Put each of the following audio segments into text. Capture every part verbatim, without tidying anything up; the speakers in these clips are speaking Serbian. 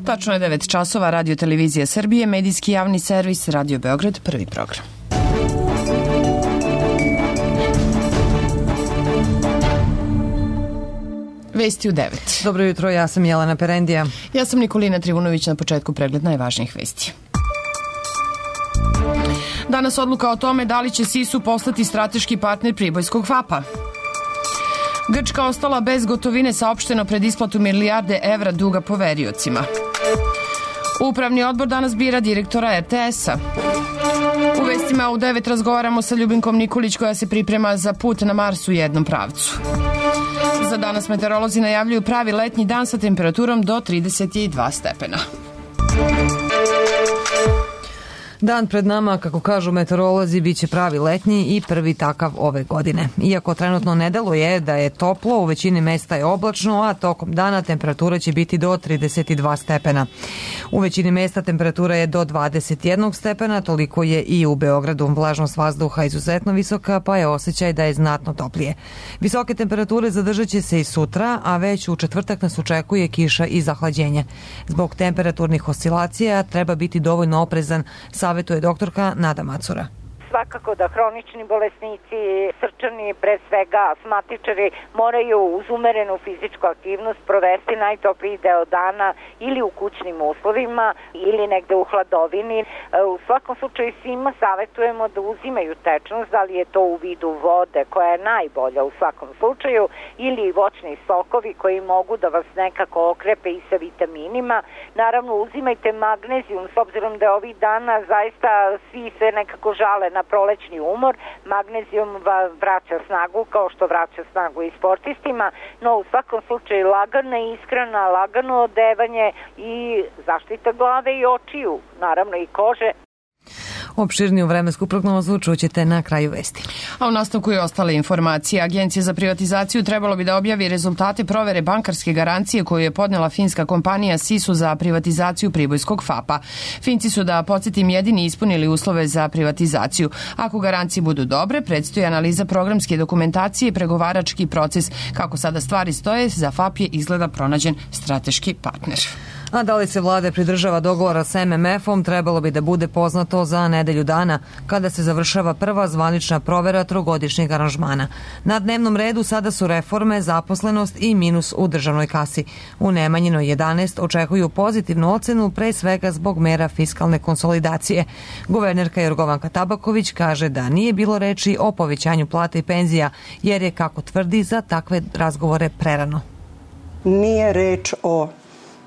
Tačno je devet časova, Radio Televizija Srbije, medijski javni servis, Radio Beograd, prvi program. Vesti u devet. Dobro jutro, ja sam Jelena Perendija. Ja sam Nikolina Trivunović, na početku pregled najvažnijih vesti. Danas odluka o tome da li će Sisu postati strateški partner pribojskog FAP-a. Grčka ostala bez gotovine, saopšteno pred isplatu milijarde evra duga poveriocima. Upravni odbor danas bira direktora er te es-a. U vestima u devet razgovaramo sa Ljubinkom Nikolić koja se priprema za put na Mars u jednom pravcu. Za danas meteorolozi najavljuju pravi letnji dan sa temperaturom do trideset dva stepena. Dan pred nama, kako kažu meteorolozi, bit će pravi letnji i prvi takav ove godine. Iako trenutno ne deluje da je toplo, u većini mesta je oblačno, a tokom dana temperatura će biti do trideset dva stepena. U većini mesta temperatura je do dvadeset jedan stepena, toliko je i u Beogradu. Vlažnost vazduha izuzetno visoka, pa je osjećaj da je znatno toplije. Visoke temperature zadržat će se i sutra, a već u četvrtak nas očekuje kiša i zahlađenje. Zbog temperaturnih oscilacija treba biti dovoljno oprezan, savetuje doktorka Nada Macura. Svakako da hronični bolesnici, srčani, pre svega astmatičari, moraju uz umerenu fizičku aktivnost provesti najtopliji deo dana ili u kućnim uslovima ili negde u hladovini. U svakom slučaju svima savetujemo da uzimaju tečnost, da li je to u vidu vode koja je najbolja u svakom slučaju ili voćni sokovi koji mogu da vas nekako okrepe i sa vitaminima. Naravno uzimajte magnezijum s obzirom da je ovih dana zaista svi se nekako žale na prolećni umor. Magnezijum vraća snagu kao što vraća snagu i sportistima, no u svakom slučaju lagana ishrana, lagano odevanje i zaštita glave i očiju, naravno i kože. Opširniju vremensku prognozu čućete na kraju vesti. A u nastavku je ostale informacije. Agencija za privatizaciju trebalo bi da objavi rezultate provere bankarske garancije koju je podnela finska kompanija Sisu za privatizaciju pribojskog FAP-a. Finci su, da podsjetim, jedini ispunili uslove za privatizaciju. Ako garancije budu dobre, predstoji analiza programske dokumentacije i pregovarački proces. Kako sada stvari stoje, za FAP je izgleda pronađen strateški partner. A da li se vlada pridržava dogovora s em em efom, trebalo bi da bude poznato za nedelju dana, kada se završava prva zvanična provera trogodišnjeg aranžmana. Na dnevnom redu sada su reforme, zaposlenost i minus u državnoj kasi. U Nemanjinoj jedanaest očekuju pozitivnu ocenu, pre svega zbog mera fiskalne konsolidacije. Guvernerka Jorgovanka Tabaković kaže da nije bilo reči o povećanju plata i penzija, jer je, kako tvrdi, za takve razgovore prerano. Nije reč o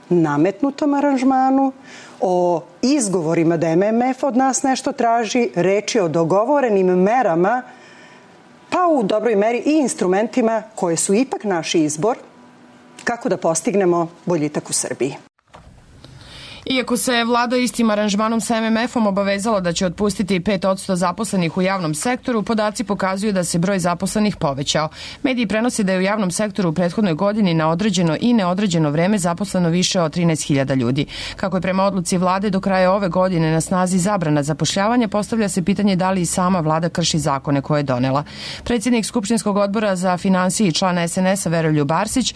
nametnutom aranžmanu, o izgovorima da em em ef od nas nešto traži, reči o dogovorenim merama, pa u dobroj meri i instrumentima koje su ipak naš izbor kako da postignemo boljitak u Srbiji. Iako se vlada istim aranžmanom sa em em efom obavezala da će otpustiti pet posto zaposlenih u javnom sektoru, podaci pokazuju da se broj zaposlenih povećao. Mediji prenose da je u javnom sektoru u prethodnoj godini na određeno i neodređeno vreme zaposleno više od trinaest hiljada ljudi. Kako je prema odluci vlade do kraja ove godine na snazi zabrana zapošljavanja, postavlja se pitanje da li i sama vlada krši zakone koje je donela. Predsjednik Skupštinskog odbora za finansije i član es en es-a Veroljub Arsić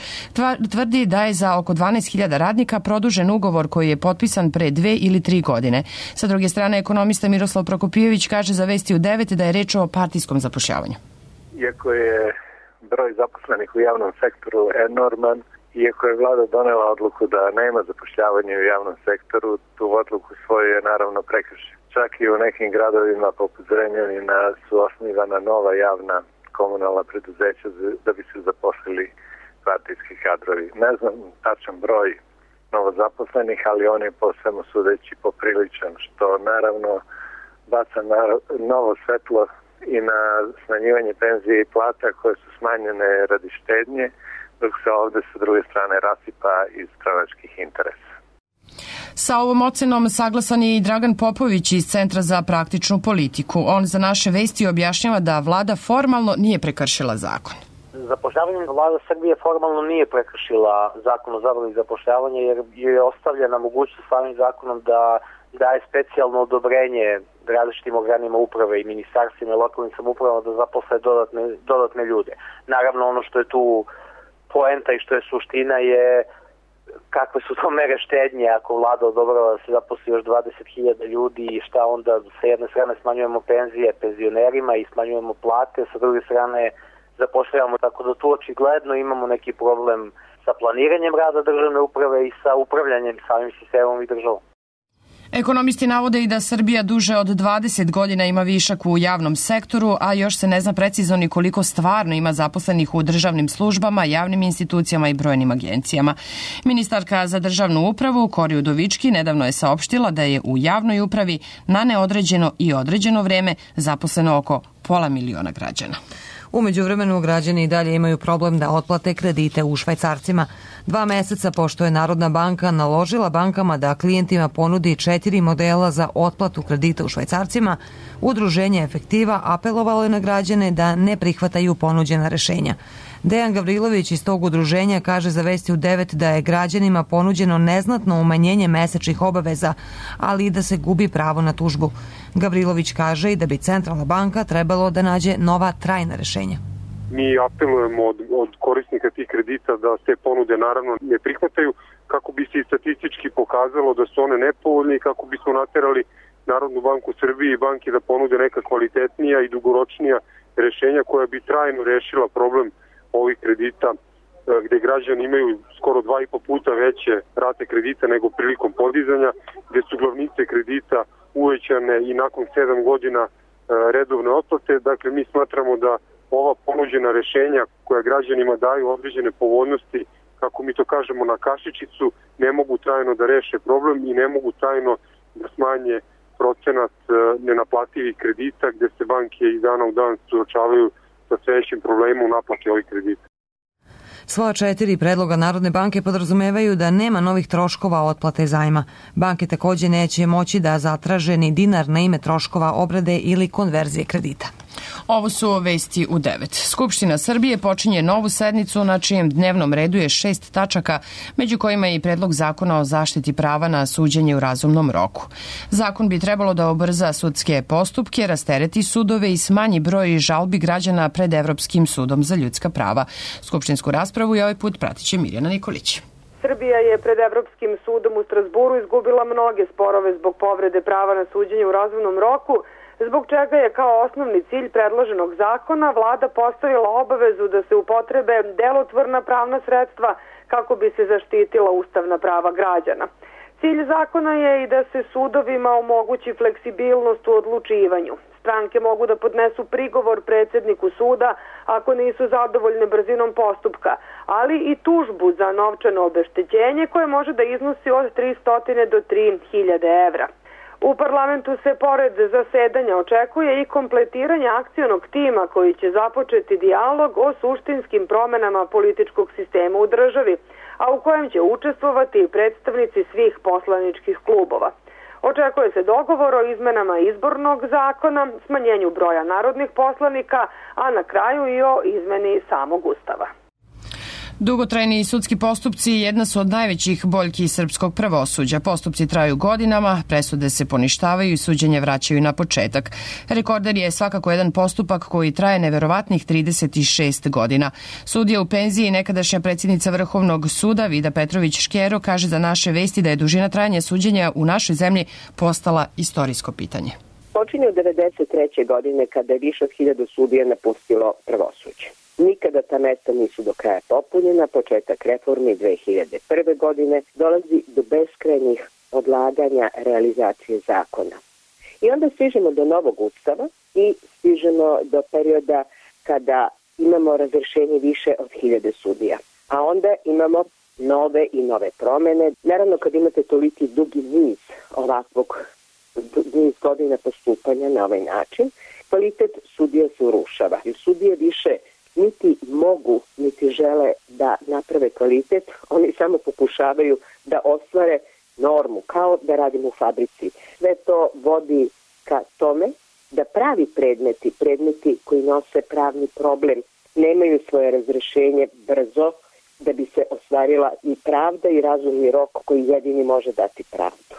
tvrdi da je za oko dvanaest hiljada radnika produžen ugovor koji je potpisan pre dve ili tri godine. Sa druge strane, ekonomista Miroslav Prokopijević kaže za Vesti u devet da je reč o partijskom zapošljavanju. Iako je broj zaposlenih u javnom sektoru enorman, iako je vlada donela odluku da nema zapošljavanja u javnom sektoru, tu odluku svoju je naravno prekršila. Čak i u nekim gradovima poput Zrenjanina su osnivana nova javna komunalna preduzeća da bi se zaposlili partijski kadrovi. Ne znam tačan broj novozaposlenih, ali on je po svemu sudeći popriličan, što naravno baca na novo svetlo i na smanjivanje penzije i plata koje su smanjene radi štednje, dok se ovde sa druge strane rasipa iz stranačkih interesa. Sa ovom ocenom saglasan je i Dragan Popović iz Centra za praktičnu politiku. On za naše Vesti objašnjava da vlada formalno nije prekršila zakon. Zapošljavanje vlada Srbije formalno nije prekršila zakon o zabrani zapošljavanja, jer je ostavljena mogućnost samim zakonom da daje specijalno odobrenje različitim organima uprave i ministarstvima i lokalnim samoupravama da zaposle dodatne, dodatne ljude. Naravno, ono što je tu poenta i što je suština je kakve su to mere štednje ako vlada odobrava da se zaposli još dvadeset hiljada ljudi i šta onda sa jedne strane smanjujemo penzije penzionerima i smanjujemo plate, sa druge strane zapošljavamo, tako da tu očigledno imamo neki problem sa planiranjem rada državne uprave i sa upravljanjem samim sistemom i državom. Ekonomisti navode i da Srbija duže od dvadeset godina ima višak u javnom sektoru, a još se ne zna precizno ni koliko stvarno ima zaposlenih u državnim službama, javnim institucijama i brojnim agencijama. Ministarka za državnu upravu Kori Udovički nedavno je saopštila da je u javnoj upravi na neodređeno i određeno vreme zaposleno oko pola miliona građana. Umeđu vremenu građani i dalje imaju problem da otplate kredite u švajcarcima. Dva meseca pošto je Narodna banka naložila bankama da klijentima ponudi četiri modela za otplatu kredita u švajcarcima, Udruženje Efektiva apelovalo je na građane da ne prihvataju ponuđena rešenja. Dejan Gavrilović iz tog udruženja kaže za Vesti u devet da je građanima ponuđeno neznatno umanjenje mesečnih obaveza, ali i da se gubi pravo na tužbu. Gavrilović kaže i da bi Centralna banka trebalo da nađe nova trajna rešenja. Mi apelujemo od, od korisnika tih kredita da te ponude naravno ne prihvataju kako bi se i statistički pokazalo da su one nepovoljne i kako bismo naterali Narodnu banku Srbije i banke da ponude neka kvalitetnija i dugoročnija rešenja koja bi trajno rešila problem ovih kredita gde građani imaju skoro dva i po puta veće rate kredita nego prilikom podizanja, gde su glavnice kredita uvećane i nakon sedam godina redovne otplate. Dakle, mi smatramo da ova ponuđena rešenja koja građanima daju određene povoljnosti, kako mi to kažemo na kašičicu, ne mogu trajno da reše problem i ne mogu trajno da smanje procenat nenaplativih kredita gde se banke iz dana u dan suočavaju sa sve većim problemom u naplati ovih kredita. Svoja četiri predloga Narodne banke podrazumevaju da nema novih troškova otplate zajma. Banke takođe neće moći da zatraže ni dinar na ime troškova obrade ili konverzije kredita. Ovo su Vesti u devet. Skupština Srbije počinje novu sednicu na čijem dnevnom redu je šest tačaka, među kojima je i predlog zakona o zaštiti prava na suđenje u razumnom roku. Zakon bi trebalo da ubrza sudske postupke, rastereti sudove i smanji broj žalbi građana pred Evropskim sudom za ljudska prava. Skupštinsku raspravu i ovaj put pratiće Mirjana Nikolić. Srbija je pred Evropskim sudom u Strasburu izgubila mnoge sporove zbog povrede prava na suđenje u razumnom roku, zbog čega je kao osnovni cilj predloženog zakona vlada postavila obavezu da se upotrebe delotvorna pravna sredstva kako bi se zaštitila ustavna prava građana. Cilj zakona je i da se sudovima omogući fleksibilnost u odlučivanju. Stranke mogu da podnesu prigovor predsjedniku suda ako nisu zadovoljne brzinom postupka, ali i tužbu za novčano obeštećenje koje može da iznosi od tristo do tri hiljade evra. U parlamentu se pored zasedanja očekuje i kompletiranje akcionog tima koji će započeti dijalog o suštinskim promenama političkog sistema u državi, a u kojem će učestvovati i predstavnici svih poslaničkih klubova. Očekuje se dogovor o izmenama izbornog zakona, smanjenju broja narodnih poslanika, a na kraju i o izmeni samog ustava. Dugotrajni sudski postupci jedna su od najvećih boljki srpskog pravosuđa. Postupci traju godinama, presude se poništavaju i suđenje vraćaju na početak. Rekorder je svakako jedan postupak koji traje neverovatnih trideset šest godina. Sudija u penziji i nekadašnja predsjednica Vrhovnog suda Vida Petrović-Škero kaže za naše vesti da je dužina trajanja suđenja u našoj zemlji postala istorijsko pitanje. Počinje od devedeset treće godine kada je više od hiljadu sudija napustilo pravosuđe. Nikada ta mesta nisu do kraja popunjena, početak reformi dve hiljade prve. godine dolazi do beskrajnih odlaganja realizacije zakona. I onda stižemo do novog ustava i stižemo do perioda kada imamo razrešenje više od hiljade sudija. A onda imamo nove i nove promene. Naravno, kad imate toliki dugi niz ovakvog niz godina postupanja na ovaj način, kvalitet sudija se urušava. Jer sudije više niti mogu, niti žele da naprave kvalitet, oni samo pokušavaju da ostvare normu, kao da radimo u fabrici. Sve to vodi ka tome da pravi predmeti, predmeti koji nose pravni problem, nemaju svoje razrešenje brzo da bi se ostvarila i pravda i razumni rok koji jedini može dati pravdu.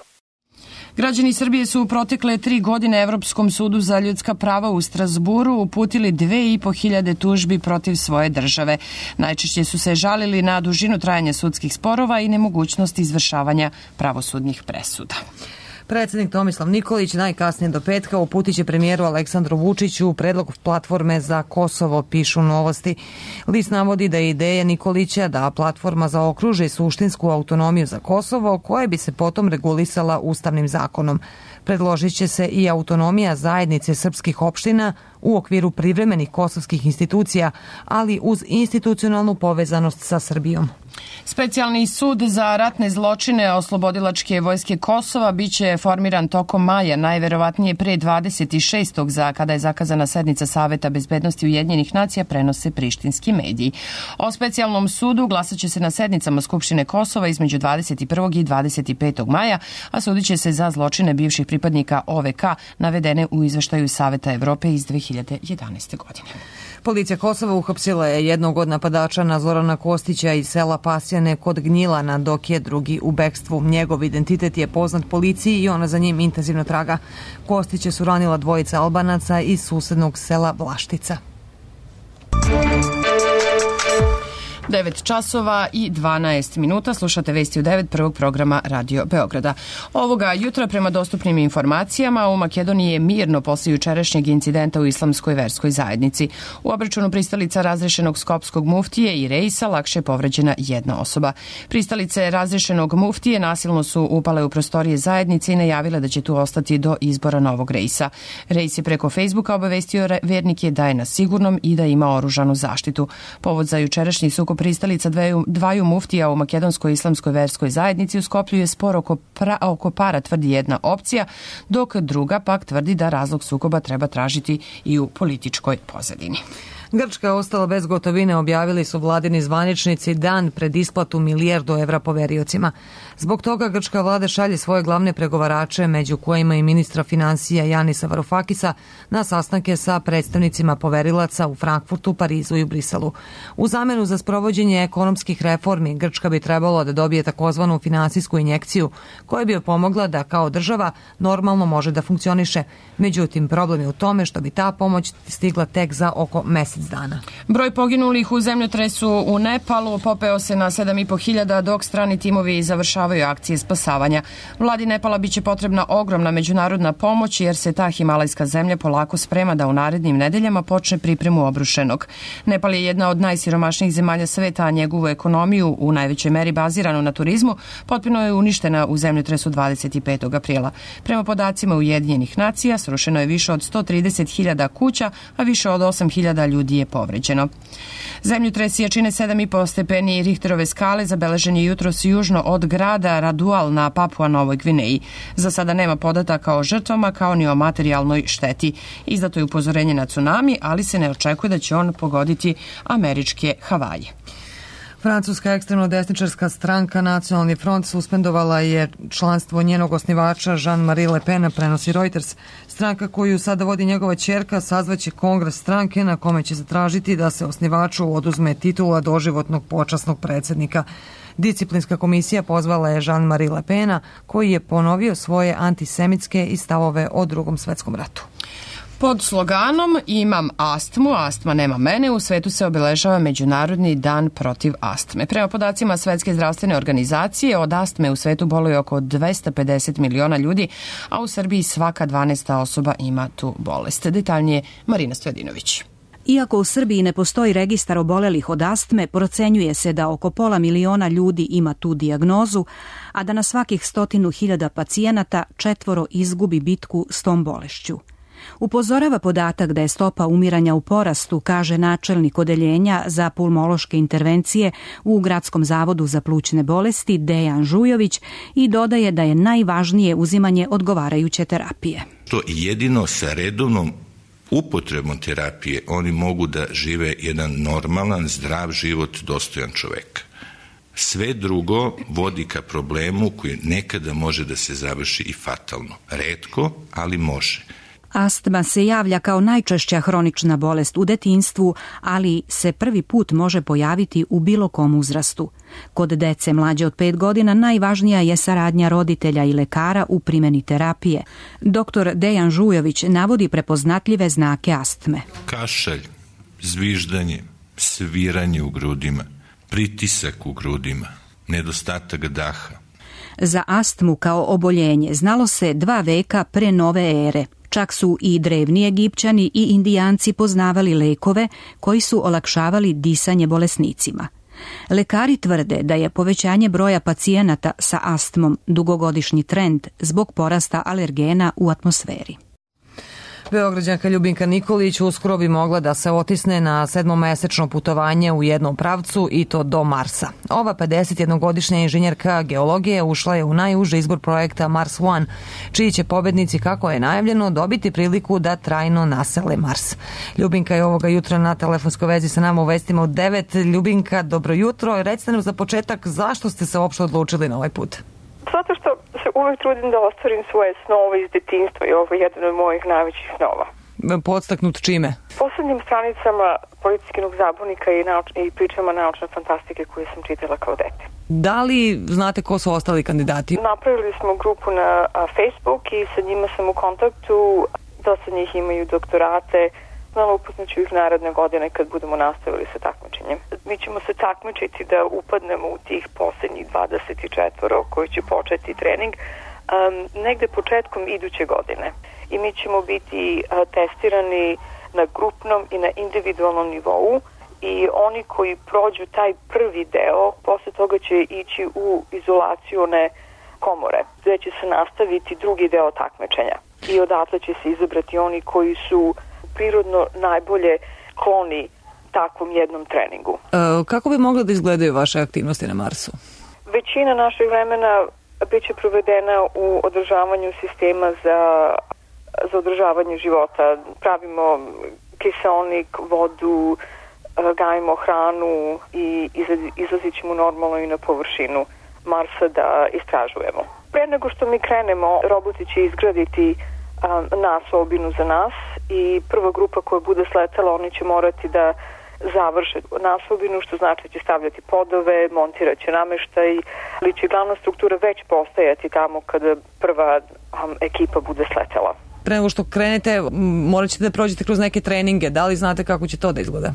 Građani Srbije su u protekle tri godine Evropskom sudu za ljudska prava u Strazburu uputili dve i po hiljade tužbi protiv svoje države. Najčešće su se žalili na dužinu trajanja sudskih sporova i nemogućnost izvršavanja pravosudnih presuda. Predsjednik Tomislav Nikolić najkasnije do petka uputit će premijeru Aleksandru Vučiću predlog platforme za Kosovo, pišu Novosti. List navodi da je ideja Nikolića da platforma zaokruži suštinsku autonomiju za Kosovo, koja bi se potom regulisala ustavnim zakonom. Predložit će se i autonomija zajednice srpskih opština u okviru privremenih kosovskih institucija, ali uz institucionalnu povezanost sa Srbijom. Specijalni sud za ratne zločine Oslobodilačke vojske Kosova biće formiran tokom maja, najverovatnije pre dvadeset šestog za kada je zakazana sednica Saveta bezbednosti Ujedinjenih nacija, prenose prištinski mediji. O specijalnom sudu glasat će se na sednicama Skupštine Kosova između dvadeset prvog i dvadeset petog maja, a sudit će se za zločine bivših pripadnika O V K navedene u izveštaju Saveta Evrope iz dve hiljade jedanaeste. godine. Policija Kosova uhapsila je jednog od napadača na Zorana Kostića iz sela Pasjane kod Gnjilana, dok je drugi u bekstvu. Njegov identitet je poznat policiji i ona za njim intenzivno traga. Kostića su ranila dvojica Albanaca iz susednog sela Vlaštica. devet časova i dvanaest minuta. Slušate vesti u devet prvog programa Radio Beograda. Ovoga jutra, prema dostupnim informacijama, u Makedoniji je mirno posle jučerašnjeg incidenta u islamskoj verskoj zajednici. U obračunu pristalica razrešenog skopskog muftije i Reisa lakše je povređena jedna osoba. Pristalice razrešenog muftije nasilno su upale u prostorije zajednice i najavile da će tu ostati do izbora novog Reisa. Reis je preko Facebooka obavestio vernike da je na sigurnom i da ima oružanu zaštitu. Povod za jučerašnji sukob pristalica dveju, dvaju muftija u makedonskoj islamskoj verskoj zajednici u Skoplju je spor oko, pra, oko para, tvrdi jedna opcija, dok druga pak tvrdi da razlog sukoba treba tražiti i u političkoj pozadini. Grčka je ostala bez gotovine, objavili su vladini zvaničnici dan pred isplatu milijardu evra poveriocima. Zbog toga grčka vlada šalje svoje glavne pregovarače, među kojima i ministra finansija Janisa Varufakisa, na sastanke sa predstavnicima poverilaca u Frankfurtu, Parizu i u Briselu. U zamenu za sprovođenje ekonomskih reformi, Grčka bi trebalo da dobije takozvanu finansijsku injekciju, koja bi joj pomogla da kao država normalno može da funkcioniše. Međutim, problem je u tome što bi ta pomoć stigla tek za oko mesec dana. Broj poginulih u zemljotresu u Nepalu popeo se na sedam i po hiljada, dok strani timovi završavaju akcije spasavanja. Vladi Nepala biće potrebna ogromna međunarodna pomoć, jer se ta himalajska zemlja polako sprema da u narednim nedeljama počne pripremu obrušenog. Nepal je jedna od najsiromašnijih zemalja sveta, a njegovu ekonomiju, u najvećoj meri baziranu na turizmu, potpuno je uništena u zemljotresu dvadeset petog aprila. Prema podacima Ujedinjenih nacija, srušeno je više od sto trideset hiljada kuća, a više od osam hiljada ljudi je povređeno. Zemljotres jačine sedam i po stepeni Richterove skale zabeležen je jutros južno od grada Radual na Papua Novoj Gvineji. Za sada nema podataka o žrtvama kao ni o materijalnoj šteti. Izdato je upozorenje na tsunami, ali se ne očekuje da će on pogoditi američke Havaje. Francuska ekstremno-desničarska stranka Nacionalni front suspendovala je članstvo njenog osnivača Jean-Marie Le Pena, prenosi Reuters. Stranka koju sada vodi njegova ćerka sazvaće kongres stranke na kome će zatražiti da se osnivaču oduzme titula doživotnog počasnog predsjednika. Disciplinska komisija pozvala je Jean-Marie Le Pena, koji je ponovio svoje antisemitske i stavove o Drugom svetskom ratu. Pod sloganom Imam astmu, astma nema mene, u svetu se obeležava Međunarodni dan protiv astme. Prema podacima Svetske zdravstvene organizacije, od astme u svetu boluje oko dvesta pedeset miliona ljudi, a u Srbiji svaka dvanaesta osoba ima tu bolest. Detaljnije Marina Stojadinović. Iako u Srbiji ne postoji registar obolelih od astme, procenjuje se da oko pola miliona ljudi ima tu dijagnozu, a da na svakih stotinu hiljada pacijenata četvoro izgubi bitku s tom bolešću. Upozorava podatak da je stopa umiranja u porastu, kaže načelnik odeljenja za pulmološke intervencije u Gradskom zavodu za plućne bolesti Dejan Žujović i dodaje da je najvažnije uzimanje odgovarajuće terapije. To jedino sa redovnom upotrebom terapije oni mogu da žive jedan normalan, zdrav život dostojan čoveka. Sve drugo vodi ka problemu koji nekada može da se završi i fatalno. Retko, ali može. Astma se javlja kao najčešća hronična bolest u detinjstvu, ali se prvi put može pojaviti u bilo kom uzrastu. Kod dece mlađe od pet godina najvažnija je saradnja roditelja i lekara u primjeni terapije. Doktor Dejan Žujović navodi prepoznatljive znake astme. Kašalj, zviždanje, sviranje u grudima, pritisak u grudima, nedostatak daha. Za astmu kao oboljenje znalo se dva veka pre nove ere. Čak su i drevni Egipćani i Indijanci poznavali lekove koji su olakšavali disanje bolesnicima. Lekari tvrde da je povećanje broja pacijenata sa astmom dugogodišnji trend zbog porasta alergena u atmosferi. Beograđanka Ljubinka Nikolić uskoro bi mogla da se otisne na sedmomesečno putovanje u jednom pravcu i to do Marsa. Ova pedesetjednogodišnja inženjerka geologije ušla je u najuži izbor projekta Mars One, čiji će pobednici, kako je najavljeno, dobiti priliku da trajno nasele Mars. Ljubinka je ovoga jutra na telefonskoj vezi sa nama u vestima u devet. Ljubinka, dobro jutro. Recite nam za početak zašto ste se uopšte odlučili na ovaj put? Zato što se uvek trudim da ostvarim svoje snove iz detinjstva i ovo je jedan od mojih najvećih snova. Podstaknut čime? Poslednjim stranicama Policijskog zabavnika i, nauč, i pričama naučne fantastike koje sam čitala kao dete. Da li znate ko su ostali kandidati? Napravili smo grupu na a, Facebook i sa njima sam u kontaktu. Dosta njih imaju doktorate. Znala upoznaću ih naredne godine kad budemo nastavili sa takmičenjem. Mi ćemo se takmičiti da upadnemo u tih poslednjih dvadeset četiri koji će početi trening um, negde početkom iduće godine. I mi ćemo biti uh, testirani na grupnom i na individualnom nivou i oni koji prođu taj prvi deo, posle toga će ići u izolacione komore, gde će se nastaviti drugi deo takmičenja. I odatle će se izabrati oni koji su prirodno najbolje kloni takvom jednom treningu. E, kako bi mogla da izgledaju vaše aktivnosti na Marsu? Većina našeg vremena biće provedena u održavanju sistema za, za održavanje života. Pravimo kiseonik, vodu, gajimo hranu i izlazit ćemo normalno i na površinu Marsa da istražujemo. Pre nego što mi krenemo, roboti će izgraditi nas obinu za nas i prva grupa koja bude sletala, oni će morati da završe nasobinu, što znači da će stavljati podove, montirat će nameštaj, ali će glavna struktura već postajati tamo kada prva um, ekipa bude sletela. Pre nego što krenete, morat ćete da prođete kroz neke treninge. Da li znate kako će to da izgleda?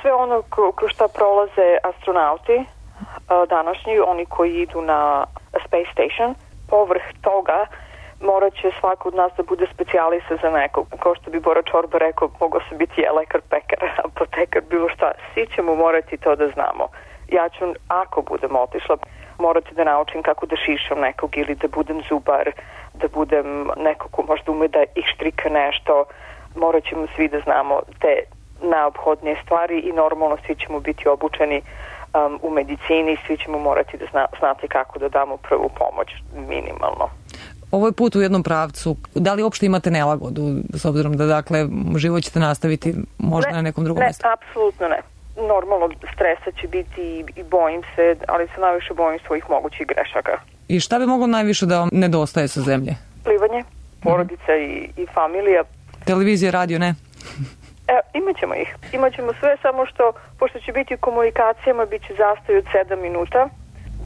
Sve ono kroz šta prolaze astronauti današnji, oni koji idu na Space Station, povrh toga morat će svako od nas da bude specijalista za nekog. Kao što bi Bora Čorba rekao, mogao sam biti je lekar, pekar, apotekar, bilo šta. Svi ćemo morati to da znamo. Ja ću, ako budem otišla, morati da naučim kako da šišam nekog ili da budem zubar, da budem neko ko možda ume da ištrika nešto. Morat ćemo svi da znamo te neophodnije stvari i normalno svi ćemo biti obučeni um, u medicini, svi ćemo morati da zna, znati kako da damo prvu pomoć minimalno. Ovo je put u jednom pravcu. Da li uopšte imate nelagodu, s obzirom da, dakle, život ćete nastaviti možda ne, na nekom drugom ne, mjestu? Ne, apsolutno ne. Normalno stresa će biti i, i bojim se, ali se najviše bojim svojih mogućih grešaka. I šta bi moglo najviše da vam nedostaje sa zemlje? Plivanje, porodica mm. i, i familija. Televizija, radio, ne? E, imaćemo ih. Imaćemo sve, samo što, pošto će biti u komunikacijama, bit će zastoj od sedam minuta,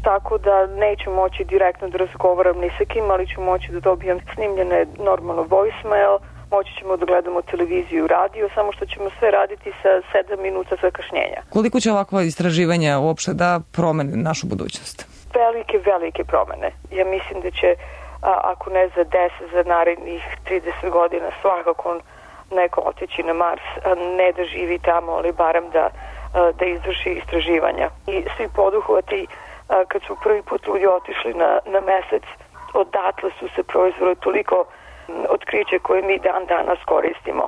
tako da neću moći direktno da razgovaram ni sa kim, ali ću moći da dobijem snimljene normalno voicemail, moći ćemo da gledamo televiziju i radio, samo što ćemo sve raditi sa sedam minuta zakašnjenja. Koliko će ovakva istraživanja uopšte da promene našu budućnost? Velike, velike promene. Ja mislim da će, a, ako ne za deset, za narednih trideset godina svakako neko otići na Mars, ne da živi tamo, ali barem da, da izvrši istraživanja. I svi poduhvati, kad su prvi put ljudi otišli na, na mesec, odatle su se proizveli toliko otkriće koje mi dan danas koristimo.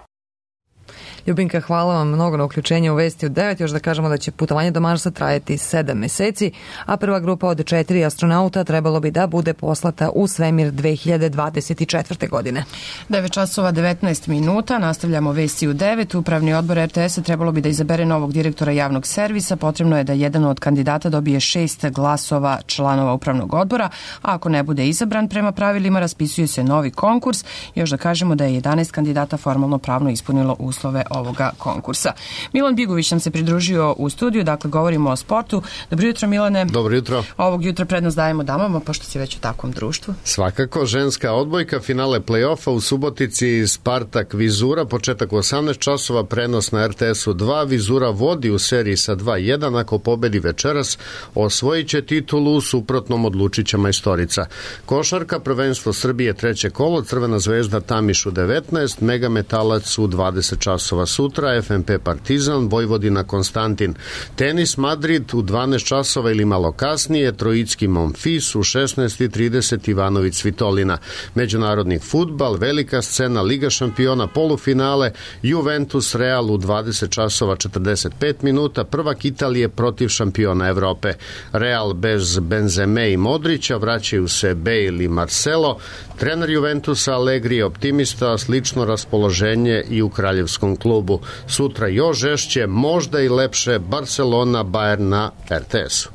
Ljubinka, hvala vam mnogo na uključenju u Vesti u devet. Još da kažemo da će putovanje do Marsa trajati sedam meseci, a prva grupa od četiri astronauta trebalo bi da bude poslata u svemir dve hiljade dvadeset četvrte. godine. devet časova devetnaest minuta, nastavljamo Vesti u devet. Upravni odbor er te es-a trebalo bi da izabere novog direktora javnog servisa. Potrebno je da jedan od kandidata dobije šest glasova članova upravnog odbora, a ako ne bude izabran prema pravilima, raspisuje se novi konkurs. Još da kažemo da je jedanaest kandidata formalno pravno ispunilo uslove ovoga konkursa. Milan Bigović nam se pridružio u studiju, dakle govorimo o sportu. Dobro jutro, Milane. Dobro jutro. Ovog jutra prednost dajemo damama, pošto si već u takvom društvu. Svakako, ženska odbojka, finale play-offa u Subotici, Spartak Vizura, početak u osamnaest časova, prenos na er te es-u dva, Vizura vodi u seriji sa dva jedan, ako pobedi večeras, osvojit će titulu, u suprotnom odlučit će majstorica. Košarka, prvenstvo Srbije, treće kolo, Crvena zvezda Tamiš u devetnaest, Megametalac u dvadeset časova sutra, ef em pe Partizan, Vojvodina Konstantin. Tenis Madrid u dvanaest časova ili malo kasnije, Trojicki Monfis u šesnaest i trideset, Ivanović Svitolina. Međunarodni fudbal, velika scena, Liga šampiona, polufinale, Juventus Real u dvadeset časova četrdeset pet minuta, prvak Italije protiv šampiona Evrope. Real bez Benzeme i Modrića, vraćaju se Bale i Marcelo. Trener Juventusa Allegri je optimista, slično raspoloženje i u kraljevskom klubu. Sutra još žešće, možda i lepše, Barcelona Bayern na er te es-u.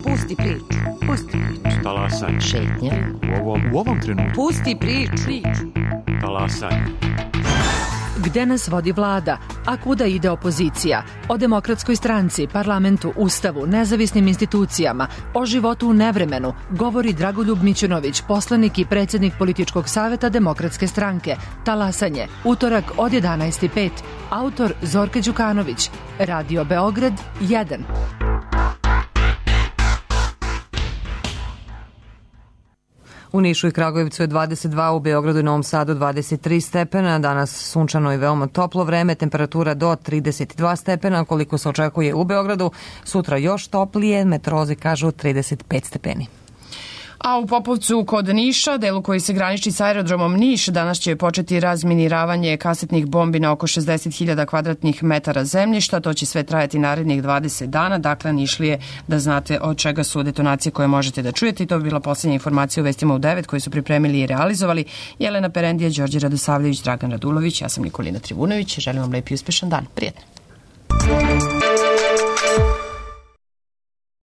Pusti priču, pusti priču. Talasaj. Šetnja. U ovom, u ovom trenutku. Pusti priču. Talasaj. Gde nas vodi vlada, a kuda ide opozicija? O Demokratskoj stranci, parlamentu, ustavu, nezavisnim institucijama, o životu u nevremenu govori Dragoljub Mićunović, poslanik i predsjednik političkog saveta Demokratske stranke. Talasanje, utorak od jedanaest i pet. Autor Zorka Đukanović. Radio Beograd jedan. U Nišu i Kragujevcu je dvadeset dva, u Beogradu i Novom Sadu dvadeset tri stepena, danas sunčano i veoma toplo vreme, temperatura do trideset dva stepena, koliko se očekuje u Beogradu, sutra još toplije, meteorolozi kažu trideset pet stepeni. A u Popovcu kod Niša, delu koji se graniči sa aerodromom Niš, danas će početi razminiravanje kasetnih bombi na oko šezdeset hiljada kvadratnih metara zemljišta. To će sve trajati narednih dvadeset dana. Dakle, Nišlije, da znate od čega su detonacije koje možete da čujete. I to bi bila posljednja informacija u Vestima u devet koji su pripremili i realizovali Jelena Perendija, Đorđe Radosavljević, Dragan Radulović. Ja sam Nikolina Trivunović. Želim vam lep i uspešan dan. Prijetno.